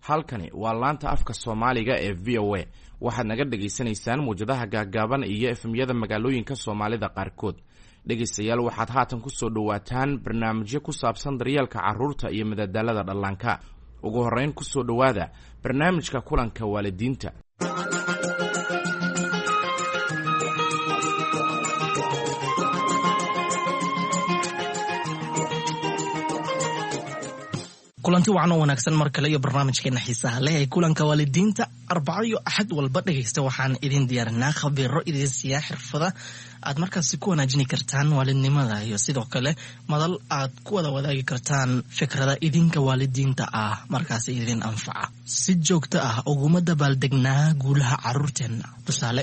Halkani waa laanta afka Soomaaliga ee VOA. Waxaad naga dhagaysanaysaan muwjadaha gaagaaban iyo FM-yada magaalooyinka Soomaalida qaarkood. Dhegaystayaal, waxaad haatan kusoo dhowaataan barnaamijyo ku saabsan daryeelka carruurta iyo madadaalada dhallaanka. Ugu horreyn, kusoo dhowaada barnaamijka kulanka waalidiinta. Kulanti wacan oo wanaagsan mar kale iyo barnaamijkeena xiisaha leh ee kulanka waalidiinta. Arbaco iyo Axad walba, dhegaysta, waxaan idin diyaarinaa khabiiro idin siiyaa xirfada aad markaasi ku wanaajini kartaan waalidnimada iyo sidoo kale madal aad ku wada wadaagi kartaan fikrada idinka waalidiinta ah markaasi idin anfaca. Si joogto ah uguma dabaaldegnaa guulaha caruurteenna? Tusaale,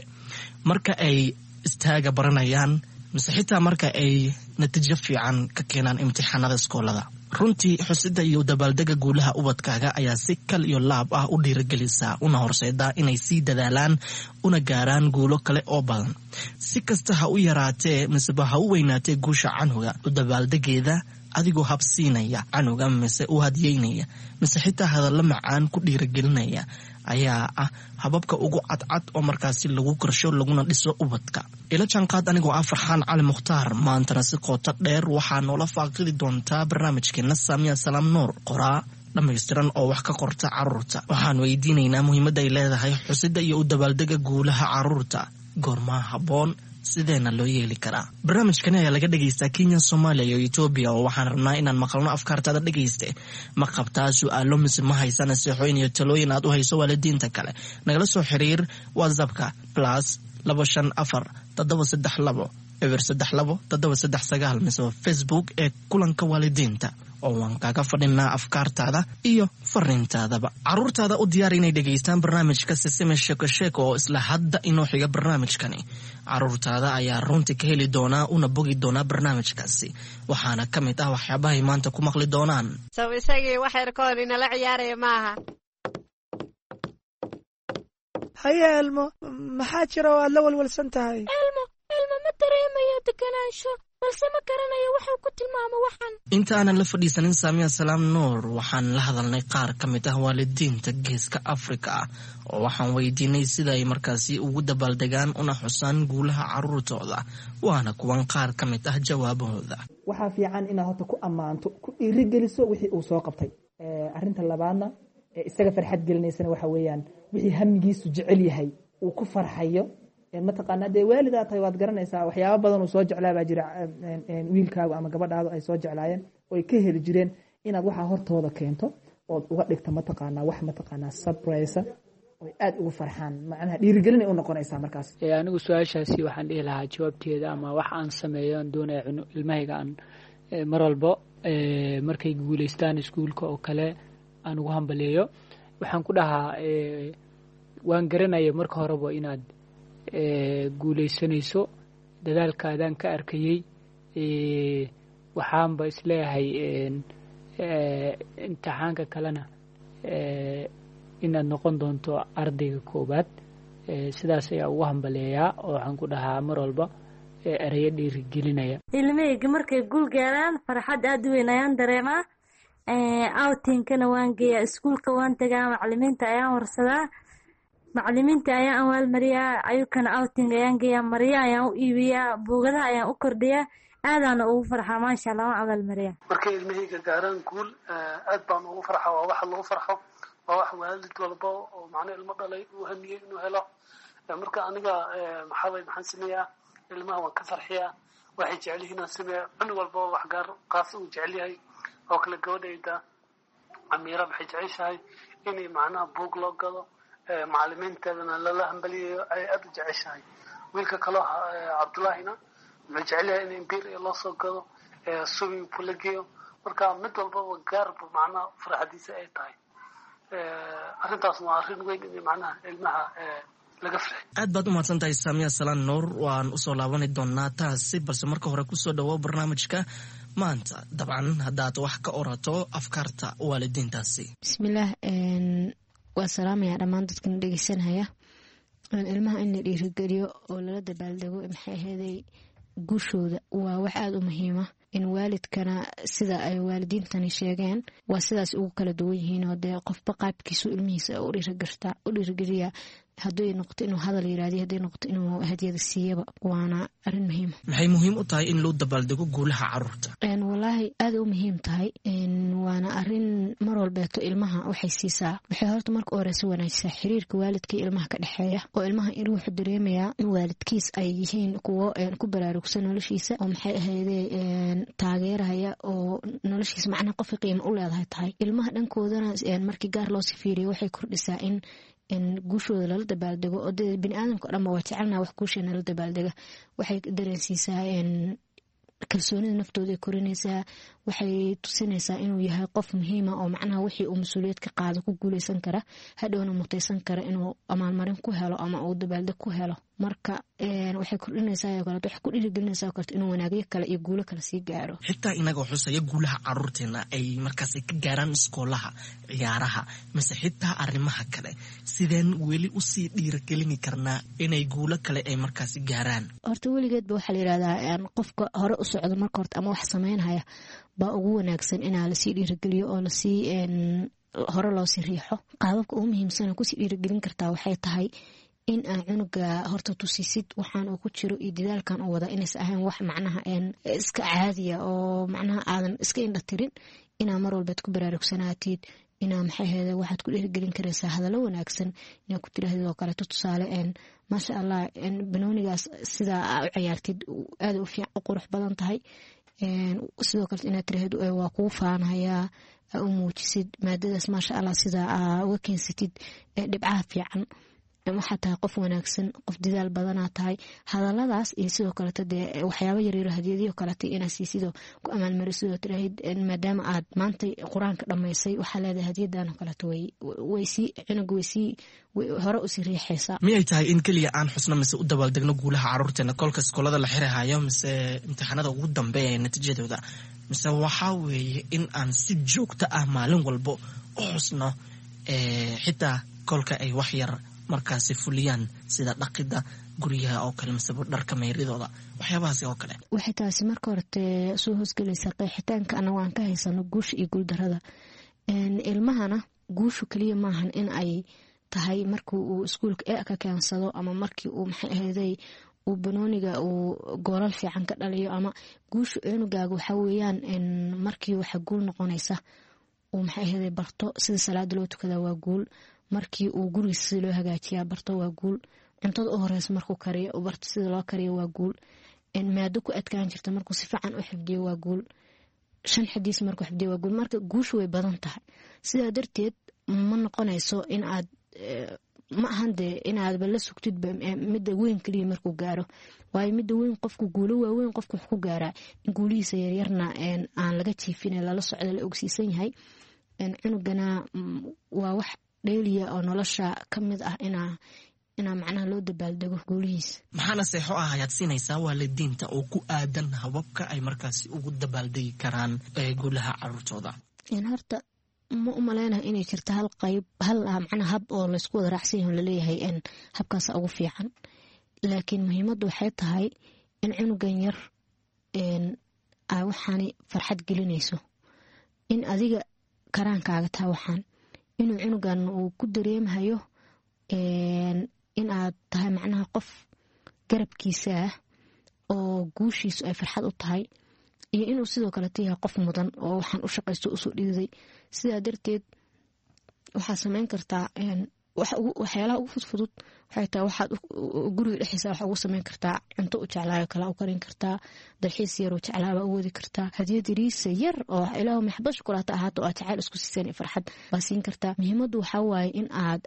marka ay istaaga baranayaan mise xitaa marka ay natiijo fiican ka keenaan imtixaanada iskoolada. Runtii, xusida iyo dabaaldega guulaha ubadkaaga ayaa si kal iyo laab ah u dhiiragelisa una horseedaa inay sii dadaalaan una gaaraan guulo kale oo badan. Si kasta ha u yaraatee miseba ha u weynaatee guusha canuga, u dabaaldegeeda adigoo habsiinaya canuga mise u hadiyeynaya mise xitaa hadallo macaan ku dhiiragelinaya ayaa ah hababka ugu cadcad oo markaasi lagu korsho laguna dhiso ubadka. Ila jaanqaad anigoo ah Farxaan Cali Mukhtaar. Maantana si qooto dheer waxaa noola faaqidi doontaa barnaamijkeena Saamiya Salaam Nuur, qoraa dhammaystiran oo wax ka qorta caruurta. Waxaan weydiinaynaa muhiimadda ay leedahay xusida iyo u dabaaldega guulaha caruurta, goormaa habboon, sideena loo yeeli karaa? Barnaamijkani ayaa laga dhegaystaa Kenya, Soomaaliya iyo Etoobiya, oo waxaan rabnaa inaan maqalno afkaartaada. Dhegayste, ma qabtaa su-aalo mise ma haysa naseexooyin iyo talooyin aad u hayso waalidiinta kale? Nagala soo xiriir WhatsAppka +254 732 032 739 mise Facebook ee kulanka waalidiinta, oo waan kaaga fadhinaa afkaartaada iyo fariintaadaba. Caruurtaada u diyaar inay dhegaystaan barnaamijka Sisime Sheeko Sheeko oo isla hadda inoo xiga. Barnaamijkani caruurtaada ayaa runtii ka heli doonaa una bogi doonaa barnaamijkaasi, waxaana ka mid ah waxyaabahay maanta ku maqli doonaan. Sow isagii wax yarkoon inala ciyaaraya maaha? Haye Elmo, maxaa jira oo aad la walwalsan tahay? Elmo, Elmo ma dareemayo deganaansho, balse ma garanayo waxuu ku tilmaamo waxan. Inta aanan la fadhiisanin Saamiya Salaam Nuur, waxaan la hadalnay qaar ka mid ah waalidiinta Geeska Afrika ah, oo waxaan weydiinay sida ay markaasi ugu dabaaldegaan una xusaan guulaha caruurtooda. Waana kuwan qaar ka mid ah jawaabahooda. Waxaa fiican inaad horta ku ammaanto, ku dhiirigeliso wixii uu soo qabtay. Arrinta labaadna ee isaga farxad gelinaysana waxa weeyaan wixii hamigiisu jecel yahay, uu ku farxayo. Mataqaanaa, dee waalidaa tahay, waad garanaysaa waxyaaba badan uu soo jeclaa baa jira wiilkaagu ama gabadhaadu ay soo jeclaayeen oo ay ka heli jireen, inaad waxaa hortooda keento ood uga dhigto, mataqaanaa, wax, mataqaanaa, surprise oy aada ugu farxaan. Macnaha dhiirigelinay u noqonaysaa markaas. Anigu su-aashaasi waxaan dhihi lahaa jawaabteeda ama wax aan sameeyo aan doonaya ilmahayga aan mar walbo markay guuleystaan iskuulka oo kale aan ugu hambaleeyo, waxaan ku dhahaa: waan garanaya marka horeba inaad guuleysanayso, dadaalkaadaan ka arkayey. Waxaanba isleeyahay imtixaanka kalena inaad noqon doonto ardayga koowaad. Sidaas ayaa ugu hambaleeyaa oo waxaan ku dhahaa mar walba ereyo dhiirigelinaya. Ilmahayga markay guul gaaraan, farxad aad u weyn ayaan dareemaa. Outingkana waan geeyaa, iskuulka waan tagaa, macalimiinta ayaan warsadaa, macalimiinta ayaan abaalmariyaa, ayukana outing ayaan geeyaa, marya ayaan u iibiyaa, buugadaha ayaan u kordhiyaa, aadaana ugu farxaa. Maasha Allah, waan abaalmariyaa. Markay ilmahayga gaaraan guul, aad baan ugu farxa. Waa waxa lagu farxo, waa wax waalid walba oo macna ilmo dhalay uu hamiyey inuu helo. Marka aniga maxaabay, maxaan sameeyaa? Ilmaha waan ka farxiyaa, waxay jecel yihiin aan sameeyaa. Cunug walba wax gaar qaas uu jecel yahay oo kale. Gabadhayda Amiira waxay jeceshahay inay macnaha buug loo gado, macalimiinteedana lala hambaliyayo ay aada u jeceshahay. Wiilka kaloo Cabdullaahina wuxuu jecel yahay in imbiir loo soo gado, swimming pool la geeyo. Marka mid walbaba gaarba macnaha farxadiisa ay tahay. Arrintaas waa arrin weyn in macnaha ilmaha laga farxiyo. Aad baad u mahadsan tahay, Saamiya Salaan Nuur. Waan usoo laabani doonaa taasi, balse marka hore kusoo dhawo barnaamijka maanta, dabcan haddaad wax ka orato afkaarta waalidiintaasi. Bismillaah, waa salaamayaa dhammaan dadkana dhegeysanaya. Ilmaha in la dhiirigeliyo oo lala dabaaldego, maxay aheeday, guushooda waa wax aada u muhiima. In waalidkana sida ay waalidiintani sheegeen waa sidaas ugu kala duwan yihiin, oo dee qofba qaabkiisu ilmihiisa u dhiirigeliya, hadday noqoto inuu hadal yiraahdiyo, hadday noqoto inuu hadiyada siiyaba, waana arrin muhiima. Maxay muhiim u tahay in loo dabaaldego guulaha caruurta? Walaahi aada u muhiim tahay, waana arrin mar walbeeto ilmaha waxay siisaa, waxay horta marka u horeysa wanaajisaa xiriirka waalidka iyo ilmaha ka dhexeeya, oo ilmaha in wuxuu dareemayaa in waalidkiis ay yihiin kuwo ku baraarugsan noloshiisa, oo maxay ahayde taageeraya, oo noloshiisa macnaha qofka qiimo u leedahay tahay. Ilmaha dhankoodana markii gaar loosii fiiriyo waxay kordhisaa in guushooda lala dabaaldego, oo dee biniaadamka o dhanba waa jecelnaha wax guusheena la dabaaldega. Waxay dareensiisaa kalsoonida naftooda ay korinaysaa, waxay tusinaysaa inuu yahay qof muhiima oo macnaha wixii uu mas-uuliyad ka qaado ku guuleysan kara, hadhowna mutaysan kara inuu amaalmarin ku helo ama uu dabaaldeg ku helo. Marka waxay kordhinaysaa oo kaleeto, waxay ku dhiirigelinaysaa oo kaleeto inuu wanaagyo kale iyo guulo kale sii gaaro. Xitaa inagoo xusaya guulaha caruurteena ay markaasi ka gaaraan iskoolaha, ciyaaraha mise xitaa arrimaha kale, sideen weli usii dhiirigelini karnaa inay guulo kale ay markaasi gaaraan? Horta weligeedba waxaa la yirahdaa qofka hore u socda marka horta ama wax sameynhaya baa ugu wanaagsan inaa lasii dhiirigeliyo oo lasii hore loosii riixo. Qaababka ugu muhiimsan oo kusii dhiirigelin kartaa waxay tahay in aa cunuga horta tusisid waxaan uu ku jiro iyo dadaalkan uu wada inaysa ahayn wax macnaha iska caadiya oo macnaha aadan iska indha tirin, inaa mar walbeed ku baraarugsanaatid, inaa maxay ahayde waxaad ku dhiirigelin karaysaa hadallo wanaagsan inaa ku tirahdid oo kaleeto, tusaale maasha Allah, banoonigaas sidaa aa u ciyaartid aada u fiican u qurux badan tahay. Sidoo kale inaad tirahdid waa kugu faanhayaa, aa u muujisid maadadaas maasha Allah sidaa aa uga keensatid dhibcaha fiican, waxaa tahay qof wanaagsan, qof dadaal badanaa tahay. Hadaladaas iyo sidoo kaleeto dee waxyaaba yaryaro hadiyadiyo kaleeto inaa siisidoo ku amaalmarisidoo tiraahid maadaama aad maanta qur-aanka dhammaysay waxaa leedahay hadiyadan oo kaleeto, waysii cunuga waysii hore usii riixaysaa. Miyay tahay in keliya aan xusno mise u dabaaldegno guulaha caruurteena kolka iskoolada la xirahayo mise imtixaanada ugu dambeeya ee natiijadooda, mise waxaa weeye in aan si joogto ah maalin walbo u xusno xitaa kolka ay wax yar markaasi fuliyaan, sida dhaqida guryaha oo kale mise dharka meyridooda, waxyaabahaasi oo kale? Waxay taasi marka horete soo hoosgelaysaa qeexitaanka anagu aan ka haysano guusha iyo guuldarada ilmahana. Guushu keliya maahan in ay tahay markii uu iskuulka e ka keensado ama markii uu maxay ahayday uu banooniga uu goolal fiican ka dhaliyo, ama guusha cunugaaga waxaa weeyaan markii waxa guul noqonaysa uu maxay ahayday barto sida salaada loo tukadaa waa guul, markii uu gurigiisa sida loo hagaajiyaa barto waa guul, cuntada u horeysa markuu kariyo uu barto sida loo kariyo waa guul, maado ku adkaan jirta markuu si fiican u xifdiyo waa guul, 5 xadiis markuu xifdiyo waa guul. Marka guushu way badan tahay, sidaa darteed ma noqonayso in aad ma ahan dee inaadba la sugtidba midda weyn keliya markuu gaaro, waayo midda weyn qofku guulo waaweyn qofku wax ku gaaraa in guulihiisa yaryarna aan laga jiifin, lala socdo, la ogsiisan yahay. Cunugana waa wax dheeliya oo nolosha ka mid ah inaa macnaha loo dabaaldego guulihiisa. Maxaa naseexo ah ayaad siinaysaa waalidiinta oo ku aadan hababka ay markaasi ugu dabaaldegi karaan guulaha caruurtooda? Horta ma u maleynayo inay jirto hal qayb, hal macnaha hab oo laysku wada raacsan yahay oo laleeyahay habkaasa ugu fiican, laakiin muhiimaddu waxay tahay in cunugan yar aa waxaani farxad gelinayso, in adiga karaankaaga taha waxaan inuu cunugan uu ku dareemhayo in aad tahay macnaha qof garabkiisa ah oo guushiisu ay farxad u tahay, iyo inuu sidoo kaleto yahay qof mudan oo waxaan u shaqaysto usoo dhiiday. Sidaa darteed waxaad sameyn kartaa waxyaalaha ugu fudfudud, waxay tahay waxaad guriga dhexdiisa waxa ugu sameyn kartaa cunto u jeclaayo kala u karin kartaa, dalxiis yaroo jeclaaba u wadi kartaa, hadiyad yariisa yar oo ilaahu maxbad shukulaata ahaato oo aad jacayl isku siiseen iyo farxad baa siin kartaa. Muhiimaddu waxaa waaye in aad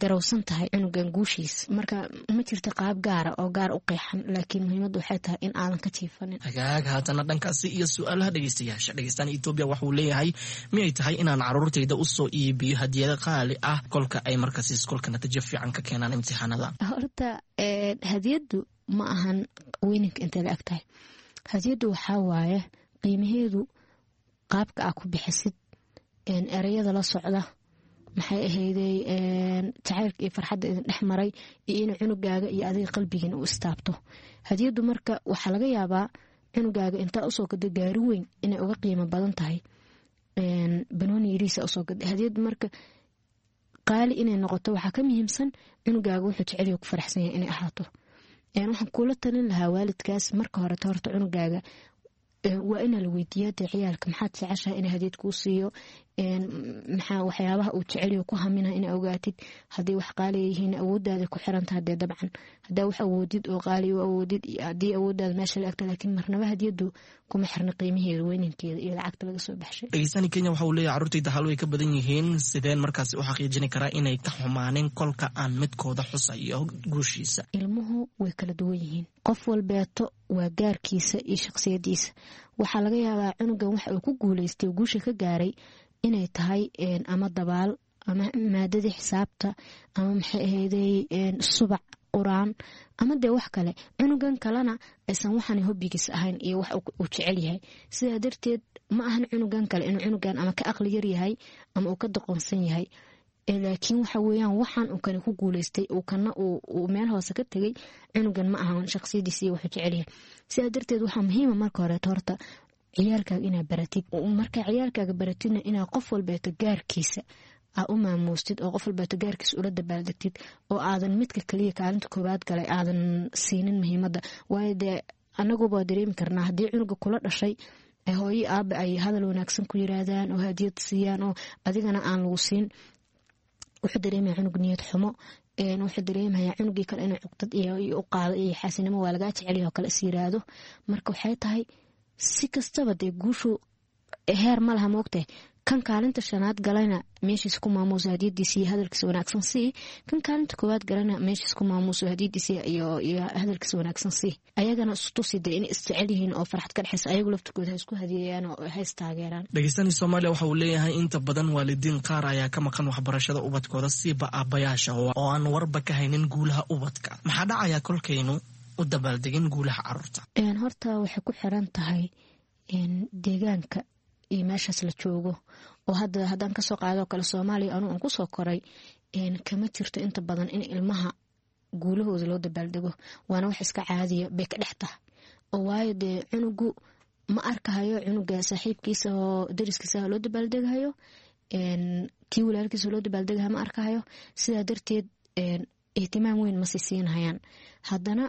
garowsan tahay cunugan guushiisa. Marka ma jirto qaab gaara oo gaar u qeexan, laakiin muhiimaddu waxay tahay in aadan ka jiifanin. Hagaag, haatana dhankaasi iyo su-aalaha dhegeystayaasha. Dhegeystaan Etoobiya waxuu leeyahay, miyay tahay inaan caruurtayda usoo iibiyo hadiyado qaali ah kolka ay markaasi iskoolka natiijo fiican ka keenaan imtixaanada? Horta hadiyaddu ma ahan weyninka intay la eg tahay. Hadiyaddu waxaa waaye qiimaheedu qaabka aa ku bixisid, ereyada la socda, maxay ahayday jacaylka iyo farxadda idin dhex maray, iyo inuu cunugaaga iyo adiga qalbigiina u istaabto hadiyaddu. Marka waxaa laga yaabaa Cunugaaga intaa usoo gado gaari weyn inay uga qiimo badan tahay banooni yariisa usoo gada hadiyad. Marka qaali inay noqoto waxaa ka muhiimsan cunugaaga wuxuu jeceliyo ku faraxsan yahay inay ahaato. Waxaan kula talin lahaa waalidkaas, marka horeta horta cunugaaga waa inaa la weydiiyaa dee ciyaalka maxaad jeceshahay inay hadiyad kuu siiyo, maxaa waxyaabaha uu jeceliyo ku hamina inaa ogaatid. Haddii wax qaaliya yihiin awoodaada ku xirantaha dee dabcan, haddaa wax awoodid oo qaaliya u awoodid iyo haddii awoodaada meesha la egta, laakiin marnaba hadiyadu kuma xirna qiimaheeda, weyninkeeda iyo lacagta laga soo baxshay. Dhegeystani Kenya waxa uu leeyahay carruurtayda hal way ka badan yihiin, sideen markaasi u xaqiijini karaa inay ka xumaanin kolka aan midkooda xusayo guushiisa? Ilmuhu way kala duwan yihiin, qof walbeeto waa gaarkiisa iyo shaqsiyadiisa. Waxaa laga yaabaa cunugan waxa uu ku guuleystay, guusha ka gaaray inay tahay ama dabaal ama maadadii xisaabta ama maxay ahayday subac qur-aan ama dee wax kale, cunugan kalena aysan waxaan hobbigiis ahayn iyo wax uu jecel yahay. Sidaa darteed ma ahan cunugan kale inuu cunugan ama ka aqli yar yahay ama uu ka doqonsan yahay, laakiin waxa weeyaan waxaan uu kani ku guuleystay uu kana uu meel hoose ka tegay cunugan ma ahan shaqsiyadiisa iyo wuxuu jecel yahay. Sidaa darteed waxaa muhiima marka horeeto horta ciyaalkaaga inaa baratid. Markaa ciyaalkaaga baratidna inaa qof walbeeto gaarkiisa aa u maamuustid oo qof walbeeto gaarkiisa ula dabaaldegtid, oo aadan midka kaliya kaalinta koowaad galay aadan siinin muhiimadda. Waayo dee anaguba dareemi karnaa haddii cunuga kula dhashay hooyo aabe ay hadal wanaagsan ku yiraahdaan oo hadiyad siiyaan oo adigana aan lagu siin, wuxuu dareemaya cunug niyad xumo, wuxuu dareemayaa cunugii kale inuu cuqdad iyo u qaado iyo xaasinimo waa lagaa jecelyaho kale is yiraahdo. Marka waxay tahay si kastaba dee guushu heer ma laha, moogtahay kan kaalinta shanaad galayna meeshiis ku maamuuso hadiyadiisa iyo hadalkiisa wanaagsan sii, kan kaalinta koowaad galana meeshiis ku maamuuso hadiyadiisa iyo hadalkiisa wanaagsan sii. Ayagana istusi dee inay isjecel yihiin oo farxad ka dhexaysa, ayagu laftirkooda ha isku hadiyeeyaan oo ha istaageeraan. Dhegeystani Soomaaliya waxa uu leeyahay inta badan waalidiin qaar ayaa ka maqan waxbarashada ubadkooda, siiba aabbayaasha oo aan warba ka haynin guulaha ubadka. Maxaa dhacaya kolkaynu u dabaaldegin guulaha caruurta? Horta waxay ku xiran tahay deegaanka iyo meeshaas la joogo, oo hadda haddaan kasoo qaadoo kale Soomaaliya anuu aan kusoo koray, kama jirto inta badan in ilmaha guulahooda loo dabaaldego, waana wax iska caadiya bay ka dhex tahay. Oo waayo dee cunugu ma arkahayo cunuga saaxiibkiisa oo dariskiisa loo dabaaldegahayo, kii walaalkiisa loo dabaaldegahayo ma arkahayo. Sidaa darteed ihtimaam weyn masi siinhayaan. Haddana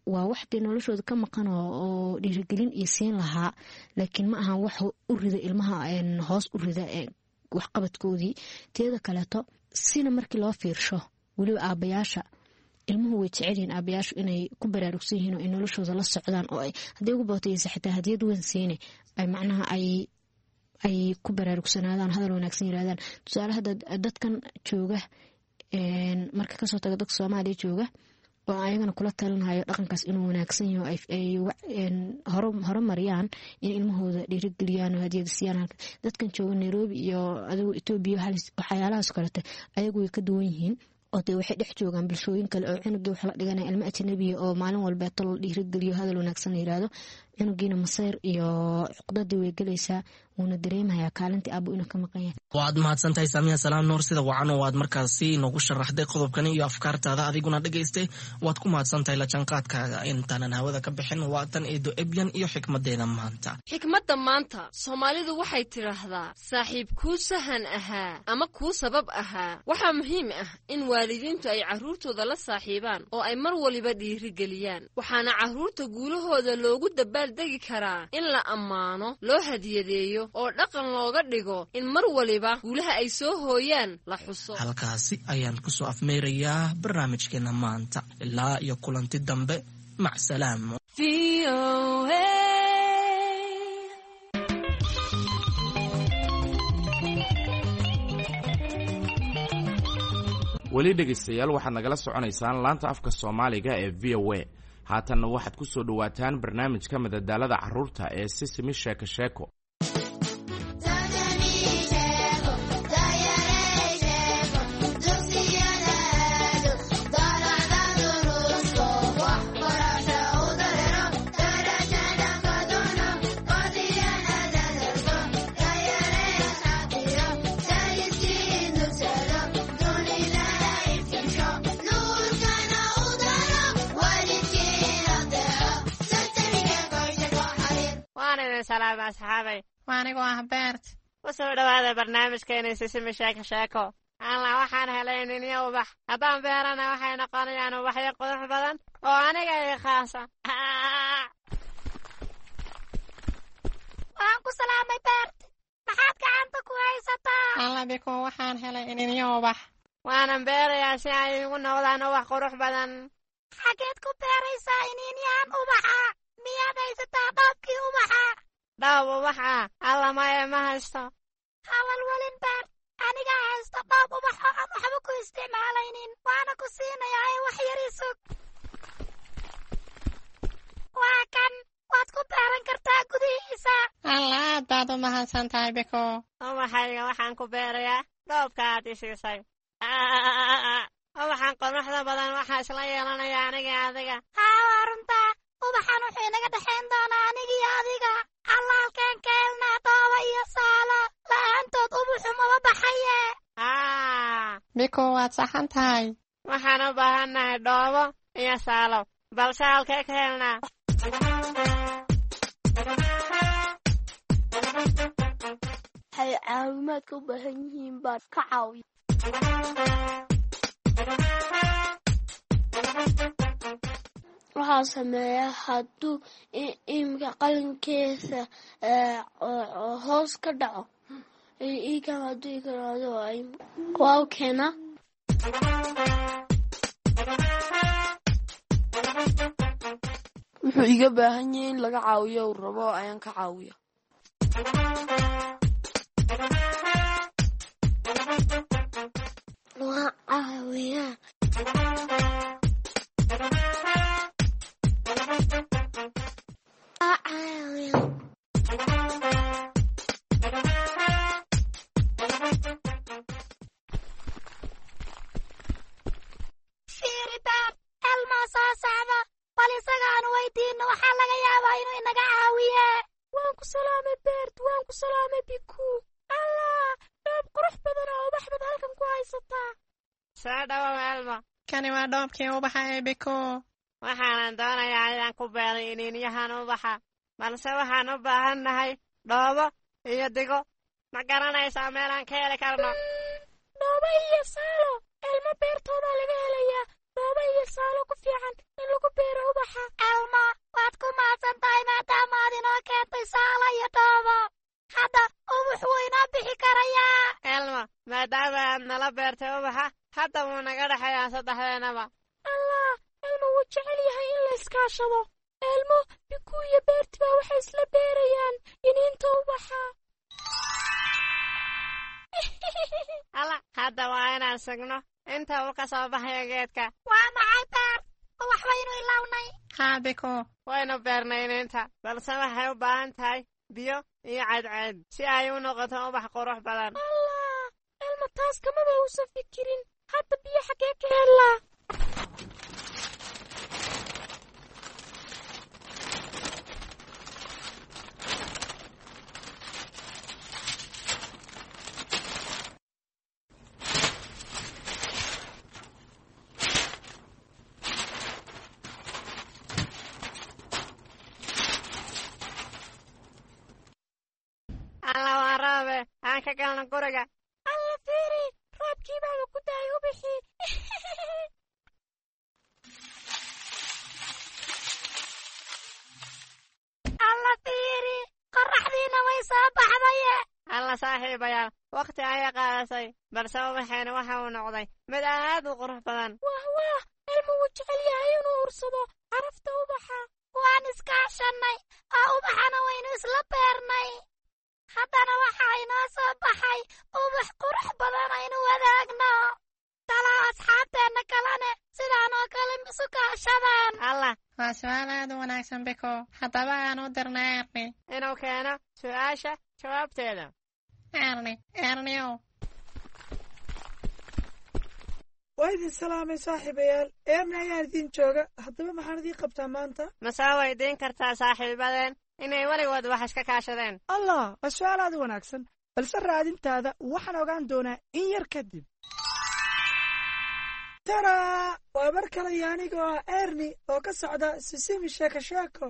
waa wax dee noloshooda ka maqan oo dhiirigelin iyo siin lahaa, laakiin ma ahan wax u rida ilmaha, hoos u rida waxqabadkoodii. Teeda kaleeto sina markii loo fiirsho weliba aabayaasha ilmuhu way jecelyihiin aabayaashu inay ku baraarugsan yihiin oo ay noloshooda la socdaan, oo ay haddii ugu baataysa xitaa hadiyad weyn siine ay macnaha ay ku baraarugsanaadaan, hadal wanaagsan yirahdaan. Tusaale hadda dadkan jooga, marka kasoo taga dadka Soomaaliya jooga oo ayagana kula talinhayo dhaqankaas inuu wanaagsan yaho, ay horumariyaan in ilmahooda dhiirigeliyaan oo hadiyada siiyaan. Dadkan jooga Nairobi iyo adigu Etoobiya waxyaalahaas kalete ayagu way ka duwan yihiin, oo dee waxay dhex joogaan bulshooyin kale oo cunugii wax la dhiganaya ilmo ajnabiya oo maalin walbeeto la dhiirigeliyo, hadal wanaagsan la yiraahdo, cunugiina masayr iyo cuqdadii way gelaysaa, wuuna dareemayaa kaalintii aabo inuu ka maqan yahay. Waad mahadsantahay Saamiya Salaam Nuur, sida wacan oo aad markaasi noogu sharaxday qodobkani iyo afkaartaada. Adiguna dhegaystay waad ku mahadsantahay la jaanqaadkaaga. Intaanan hawada ka bixin, waa tan Eedo Ebyan iyo xikmadeeda maanta. Xikmadda maanta, Soomaalidu waxay tidhaahdaa saaxiib kuu sahan ahaa ama kuu sabab ahaa. Waxaa muhiim ah in waalidiintu ay carruurtooda la saaxiibaan oo ay mar waliba dhiirigeliyaan, waxaana carruurta guulahooda loogu dabaaldegi karaa in la ammaano, loo hadiyadeeyo oo dhaqan looga dhigo in mar waliba guulaha ay soo hooyaan la xuso. Halkaasi ayaan kusoo afmeerayaa barnaamijkeena maanta. Ilaa iyo kulanti dambe, macsalaam. Weli dhegaystayaal waxaad nagala soconaysaan laanta afka Soomaaliga ee VOA. Haatanna waxaad ku soo dhowaataan barnaamijka madadaalada carruurta ee Sisimi Sheeko Sheeko. salaamay asxaabay. Waa anigoo ah Beert. U soo dhowaada barnaamijkeena Sisimi Sheeko Sheeko. Alla, waxaan helay iniinyo ubax. Haddaan beerana waxay noqonayaan ubaxyo qurux badan oo aniga ii khaasa. Waan ku salaamay, Beert. Maxaad gacanta ku haysataa? Alla Biko, waxaan helay iniinyo ubax. Waanan beerayaa si ay igu noqdaan ubax qurux badan. Xageed ku beeraysaa iniinyahan ubaxa? Miyaad haysataa dhoobkii ubaxa? Dhoob ubax ah? Alla maya, ma haysto. Ha walwalin, Beert. Anigaa haysto dhoob ubax oo aan waxba ku isticmaalaynin. Waana ku siinayaa ee wax yar i sug. Waa kan, waad ku beeran kartaa gudihiisa. Alla, aad baad u mahadsan tahay, Biko. Ubaxayga waxaan ku beerayaa dhoobka aad i siisay. Ubaxan quruxda badan waxaa isla yeelanaya aniga adiga. Haa, waa runtaa. Ubaxan wuxuu inaga dhexayn doonaa anigiyo adiga. Alla, halkeen ka helnaa dhoobo iyo saalo? La'aantood ubaxu maba baxaye. Biko, waad saxan tahay. Waxaan u baahannahay dhoobo iyo saalo, balse halkee ka helnaa? Waxay caawimaadka u baahan yihiin baan ka caawiya. Waxaa sameeya hadduu imika qalinkiisa hoos ka dhaco, ikan hadduu ikaraado waa u keenaa. Wuxuu iga baahan yahay in laga caawiyo uu rabo ayaan ka caawiya. Waa caawiyaa. Waa caawiyaa. Fiiri Beert, Elmaa soo socda. Bal isaga aan weydiinno, waxaa laga yaabaa inuu inaga caawiye. Waan ku salaamay, Beert. Waan ku salaamay, Biku. Allah, dhoob qurux badan oo ubax baad halkan ku haysataa. Soo dhawow, Elmo. Kani waa dhoobkii ubaxa ee Biko. Waxaanan doonayaa inaan ku beeray iniinyahan ubaxa, balse waxaan u baahannahay dhoobo iyo digo. Ma garanaysaa meelaan ka heli karno? Dhoobo iyo saalo Elmo beertoodaa laga helayaa. Dhoobo iyo saalo ku fiican in lagu beero ubaxa. Elmo, waad ku mahadsan tahay maadaama aad inoo keentay saalo iyo dhoobo. Hadda ubax wuu inoo bixi karayaa. Elmo, maadaama aad nala beertay ubaxa, hadda wuu naga dhexeeyaa saddexdeennaba. Allah, Elmo wuu jecel yahay in la iskaashado. Elmo, Biku iyo Beerti baa waxay isla beerayaan iniinta ubaxa. Alla, hadda waa inaan sugno inta uu ka soo baxayo geedka. Waa maxay, Beert? Ubax waynu ilawnay. Haa Biko. Waynu beernay iniinta, balse waxay u baahan tahay biyo iyo cadceed si ay u noqoto ubax qurux badan. Allah, Elmo taas kamaba uusan fikirin. Hadda biyo xaggee ka helaa? Alla, waa roobe, aan ka galno guriga. Alla fiiri, roobkii baaba ku daayay ubaxii. Alla fiiri, qorraxdiina way soo baxdaye. Alla saaxiibayaal, wakhti ayay qaadatay, balse ubaxeena waxa uu noqday mid aad u qurux badan. Wah wah, Elmo wuu jecel yahay inuu ursado carafta ubaxa. Waan iskaashannay oo ubaxana waynu isla beernay. Haddana waxaa inoo soo baxay ubax qurux badan aynu wadaagno. Talaa asxaabteenna kalene sidaan oo kale misu kaashadaan? Allah, waa su'aal aad u wanaagsan, Biko. Haddaba aan u dirna Erni inuu keeno su'aasha jawaabteeda. Erni, Erniow. Waa idin salaamay saaxiibayaal. Eerna ayaan idiin jooga. Haddaba maxaan idiin qabtaa maanta? Ma soo weydiin kartaa saaxiibadeen inay weligood wax iska kaashadeen? Allah, waa su'aal aad u wanaagsan, balse raadintaada waxaan ogaan doonaa in yar kadib. Taraa, waa mar kale iyo anigoo ah Erni oo ka socda Sisimi Sheeko Sheeko.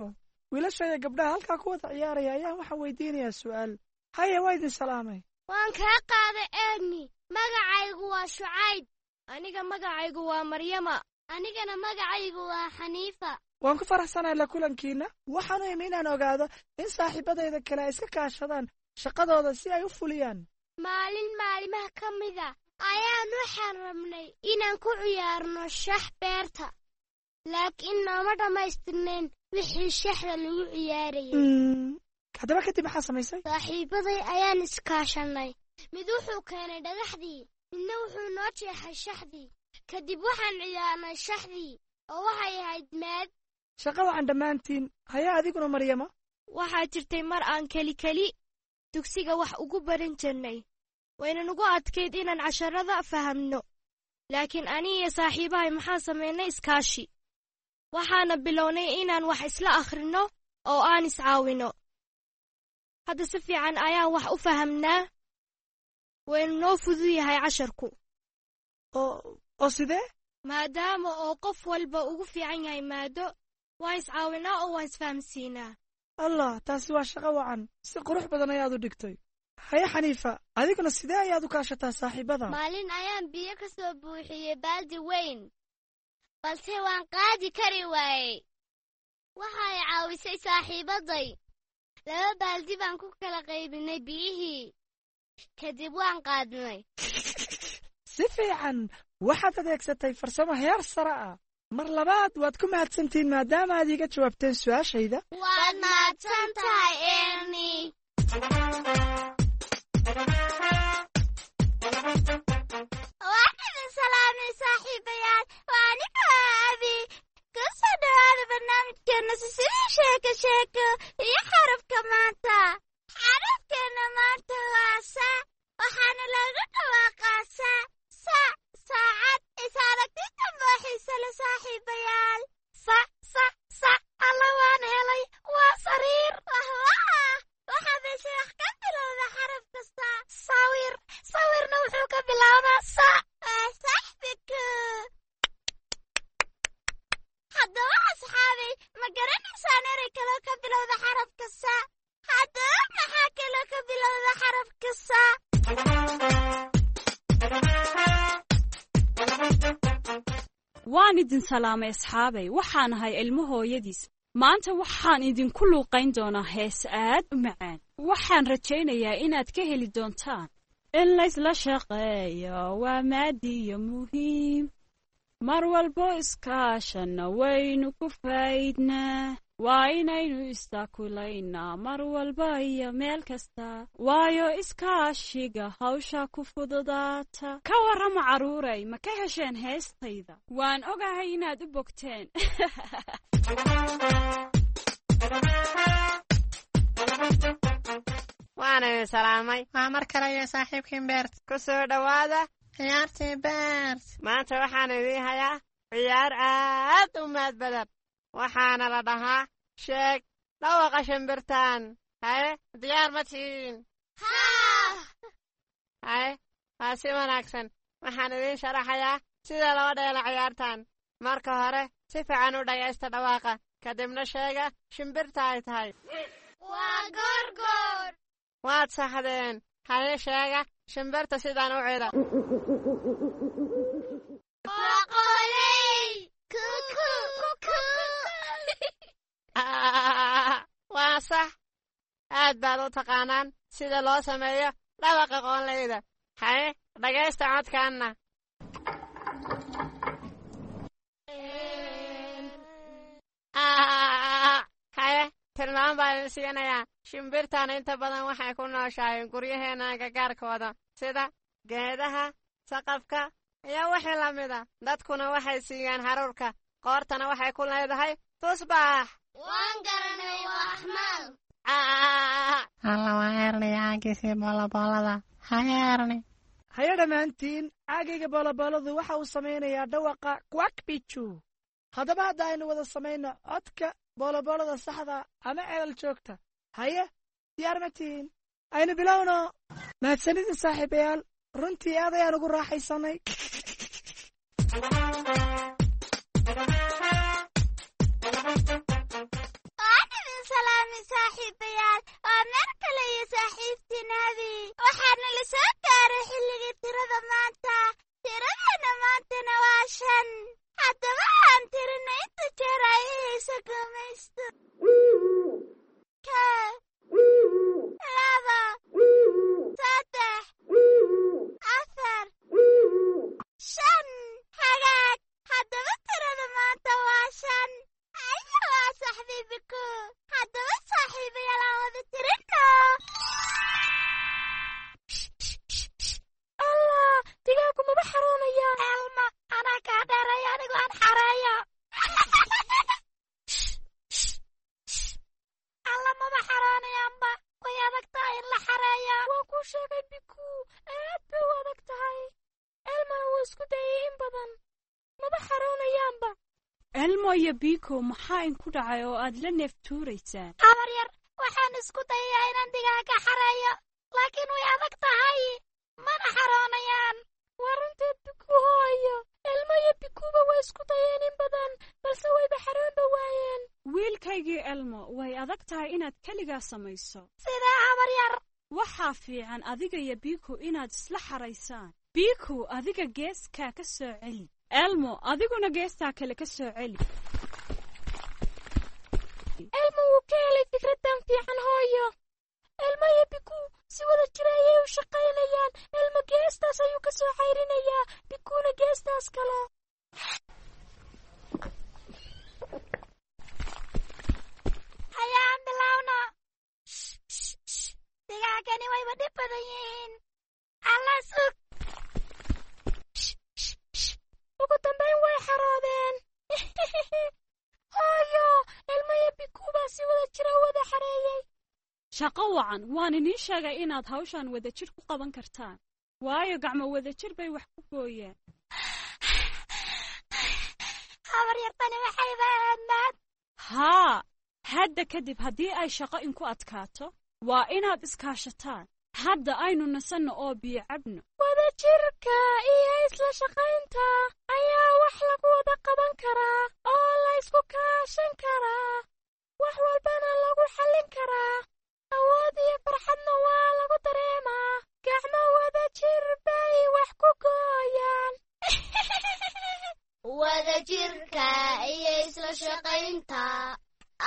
Wiilasha iyo gabdhaha halkaa ku wada ciyaaraya ayaan waxaan weydiinayaa su'aal. Haye, waa idin salaamay. Waan kaa qaaday, Erni. Magacaygu waa Shucayb. Aniga magacaygu waa Maryama. Anigana magacaygu waa Xaniifa. Waan ku faraxsanahay la kulankiinna. Waxaan u imi inaan ogaado in saaxiibadayda kale ay iska kaashadaan shaqadooda si ay u fuliyaan. Maalin maalimaha ka mida ayaan waxaan rabnay inaan ku ciyaarno shax beerta, laakiin nooma dhammaystirnayn wixii shaxda lagu ciyaarayay. Haddaba kadib maxaa samaysay? Saaxiibaday ayaan iskaashanay. Mid wuxuu keenay dhagaxdii, midna wuxuu noo jeexay shaxdii. Kadib waxaan ciyaarnay shaxdii oo waxay ahayd maad. Shaqa wacan dhammaantiin. Haya, adiguna Maryama? Waxaa jirtay mar aan keli keli dugsiga wax ugu baran jirnay. Wayna nugu adkayd inaan casharada fahamno, laakiin ani iyo saaxiibahay maxaan samaynay iskaashi. Waxaana bilownay inaan wax isla akhrinno oo aan iscaawino. Hadda si fiican ayaan wax u fahamnaa, waynu noo fudud yahay casharku. Oo sidee? Maadaama oo qof walba ugu fiican yahay maado, waan iscaawinaa oo waan isfahamsiinaa. Allah, taasi waa shaqo wacan. Si qurux badan ayaad u dhigtay. Haye Xaniifa, adiguna sidee ayaad u kaashataa saaxiibada? Maalin ayaan biyo ka soo buuxiyey baaldi weyn, balse waan qaadi kari waayey. Waxay caawisay saaxiibaday. 2 baaldi baan ku kala qaybinay biyihii, kadib waan qaadnay. Si fiican, waxaad adeegsatay farsamo heer sare ah. Mar labaad waad ku mahadsantihiin maadaama aad iiga jawaabteen su'aashayda. Waad mahadsan tahay, Erni. Waan idin salaamay, saaxiibayaal. Waa aniga Abi. Ku soo dhawaada barnaamijkeena Sisidii Sheeko Sheeko iyo xarafka maanta. Xarafkeena maanta waa sa, waxaana lagu dhawaaqaa sa, sa, saacad. Is aragti dambe oo xiise leh, saaxiibayaal. Sa, sa, sa. Alla, waan helay. Waa sariir. Wah wah. Waxaa meesha wax ka bilowda xarafka sa. Sawir. Sawirna wuxuu ka bilaabaa sa. Waa saxbiku. Haddaba asxaabay, ma garanaysaan erey kaloo ka bilowda xarafka sa? Haddaba maxaa kaloo ka bilowda xarafka sa? Waan idin salaamay, asxaabay. Waxaan ahay ilmo hooyadiis. Maanta waxaan idinku luuqayn doonaa hees aad u macaan. Waxaan rajaynayaa inaad ka heli doontaan. In laysla shaqeeyo waa maadiyo muhiim. Mar walbo iskaashanna waynu ku faa'iidnaa. Waa inaynu istaakulaynaa mar walba iyo meel kasta, waayo iskaashiga hawsha ku fududaata. Ka warrama, carruuray, ma ka hesheen heestayda? Waan ogahay inaad u bogteen. Waan idin salaamay. Waa mar kale iyo saaxiibkiin Beert. Ku soo dhowaada ciyaartii Beert. Maanta waxaan idiin hayaa ciyaar aad u mahad badan. Waxaana la dhahaa sheeg dhawaqa shimbirtan. Haye, diyaar ma tihiin? Haye, waa si wanaagsan. Waxaan idiin sharaxayaa sida loo dheelo ciyaartan. Marka hore si fiican u dhagaysta dhawaaqa, kadibna sheega shimbirta ay tahay. Waa goorgoor. Waad saxdeen. Haye, sheega shimbirta sidaan u cida. Waa qoley. Kuku kuku. Waa sax. Aad baad u taqaanaan sida loo sameeyo dhawaqa qoonleyda. Haye, dhagaysta codkaanna. Haye, tilmaam baan idin siinayaa. Shimbirtan inta badan waxay ku nooshahay guryaheenna agagaarkooda, sida geedaha, saqafka iyo wixii la mida. Dadkuna waxay siiyaan haruurka, qoortana waxay ku leedahay tusbax. Waan garanay, waa axmaal. Alla, waa Erni caagiisii booloboolada. Haye Erni. Haye dhammaantiin, caagayga boolobooladu waxa uu samaynayaa dhawaqa kwakbiju. Haddaba hadda aynu wada samayno codka booloboolada saxda ama ceelal joogta. Haye, diyaar ma tihiin? Aynu bilowno. Mahadsanidin, saaxiibayaal. Runtii aad ayaan ugu raaxaysanay. Waan idin badan, maba xaroonayaanba. Elmo iyo Biko, maxaa inku dhacay oo aad la neef tuuraysaan? Habar yar, waxaan isku dayayaa inaan digaaga xareeyo, laakiin way adag tahay, mana xaroonayaan. Waa runteed Biku hooyo. Elmo iyo Bikuba way isku dayeen in badan, balse wayba xaroonba waayeen. Wiilkaygii Elmo, way adag tahay inaad keligaa samayso. Sidaa, habar yar? Waxaa fiican adiga iyo Biku inaad isla xaraysaan. Biku, adiga geeskaa ka soo celi. Elmo, adiguna geestaa kale ka soo celi. Elmo wuu ka helay fikraddan fiican, hooyo. Elmo iyo Biku si wada jira ayay u shaqaynayaan. Elmo geestaas ayuu ka soo cayrinayaa, Bikuuna geestaas kale. Hayaan bilowno. Digaagani wayba dhib badan yihiin. Alla, sug. Ugu dambayn way xaroodeen. Hooyo, Elmo iyo Biku baa si wada jira u wada xareeyey. Shaqo wacan! Waan iniin sheegay inaad hawshan wadajir ku qaban kartaan, waayo gacmo wadajir bay wax ku gooyaan. Habar yartani waxayba ahayd mahad. Haa, hadda kadib haddii ay shaqo inku adkaato, waa inaad iskaashataan. Hadda aynu nasanno oo biyo cabno. Wadajirka iyo isla shaqaynta ayaa wax lagu wada qaban karaa oo la isku kaashan karaa, wax walbana lagu xallin karaa. Awood iyo farxadna waa lagu dareemaa. Gacmo wadajir bay wax ku gooyaan. Wadajirka iyo isla shaqaynta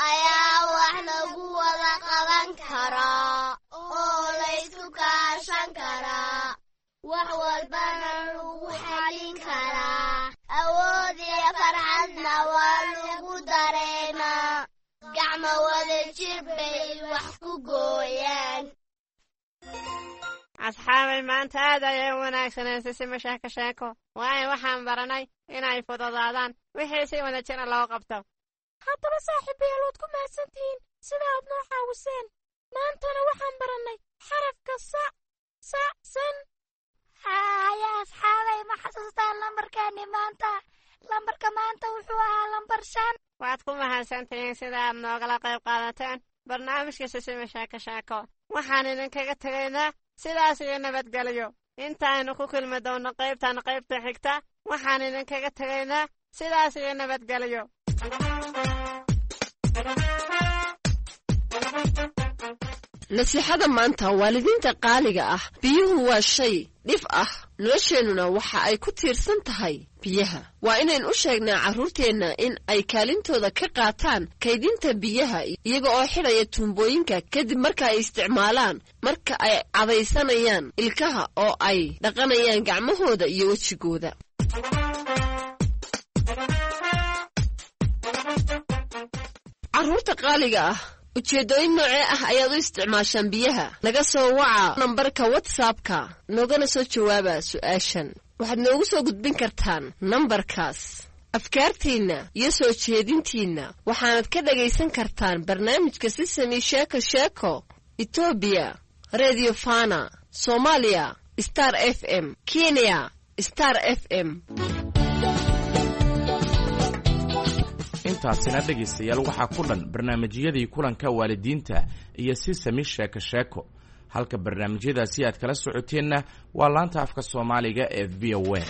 ayaa wax lagu wada qaban karaa oo la isku kaashan karaa, wax walbana lagu xalin karaa. Awood iyo farxadna waa lagu dareemaa. Gacmo wadajir bay wax ku gooyaan. Asxaabay, maanta aad ayay u wanaagsaneen Sisima Sheeko Sheeko, waayo waxaan baranay inay fududaadaan wixii si wada jira loo qabto. Haddaba saaxiibayaal, waad ku mahadsantihiin sida aad noo caawiseen. Maantana waxaan barannay xarafka sa sa san. Haya asxaabay, ma xasuustaan lambarkaani maanta? Lambarka maanta wuxuu ahaa lambar 5. Waad ku mahadsantihiin sida aad noogala qayb qaadateen barnaamijka Sisima Sheeko Sheeko. Waxaan idinkaga tegaynaa sidaas iyo nabadgelyo. Intaaynu ku kulmi doonno qaybtan qaybta xigta, waxaan idinkaga tegaynaa sidaas iyo nabadgelyo. Nasiixada maanta, waalidiinta qaaliga ah: biyuhu waa shay dhif ah, nolosheennuna waxa ay ku tiirsan tahay biyaha. Waa inayn u sheegnaa carruurteenna in ay kaalintooda ka qaataan kaydinta biyaha, iyaga oo xidhaya tuumbooyinka kadib marka ay isticmaalaan, marka ay cadaysanayaan ilkaha oo ay dhaqanayaan gacmahooda iyo wejigooda. Carruurta qaaliga ah, ujeeddooyin noocee ah ayaad u isticmaashaan biyaha? Naga soo waca nambarka WhatsAppka, noogana soo jawaaba su'aashan. Waxaad noogu soo gudbin kartaan nambarkaas afkaartiinna iyo soo jeedintiinna. Waxaanad ka dhagaysan kartaan barnaamijka Sisami Sheeko Sheeko Etoobiya Redio Fana, Soomaaliya Star FM, Kenya Star FM. Intaasina dhegaystayaal waxaa ku dhan barnaamijyadii kulanka waalidiinta iyo Sisami Sheeko Sheeko. Halka barnaamijyadaasi aad kala socoteenna waa laanta afka Soomaaliga ee VOA.